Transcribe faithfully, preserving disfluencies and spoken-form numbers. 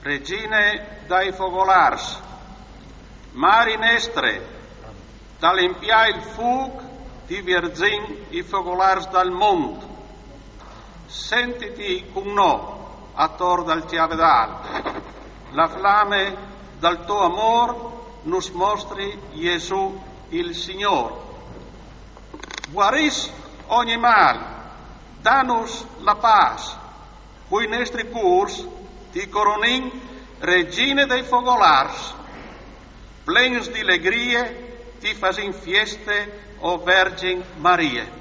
Regine dai fogolars, Mari nestre, dal impià il fûc ti vierzìn i fogolars dal mont. Sentiti cun nô ator dal cjavedâl, la flame dal to amôr nus mostri Jesù il Signôr. Guarìs ogni mâl, danus la pâs, cui nestri cûrs ti coronìn, Regine dai fogolars. Plens di legrie ti fasìn fieste, o Vergin Marie.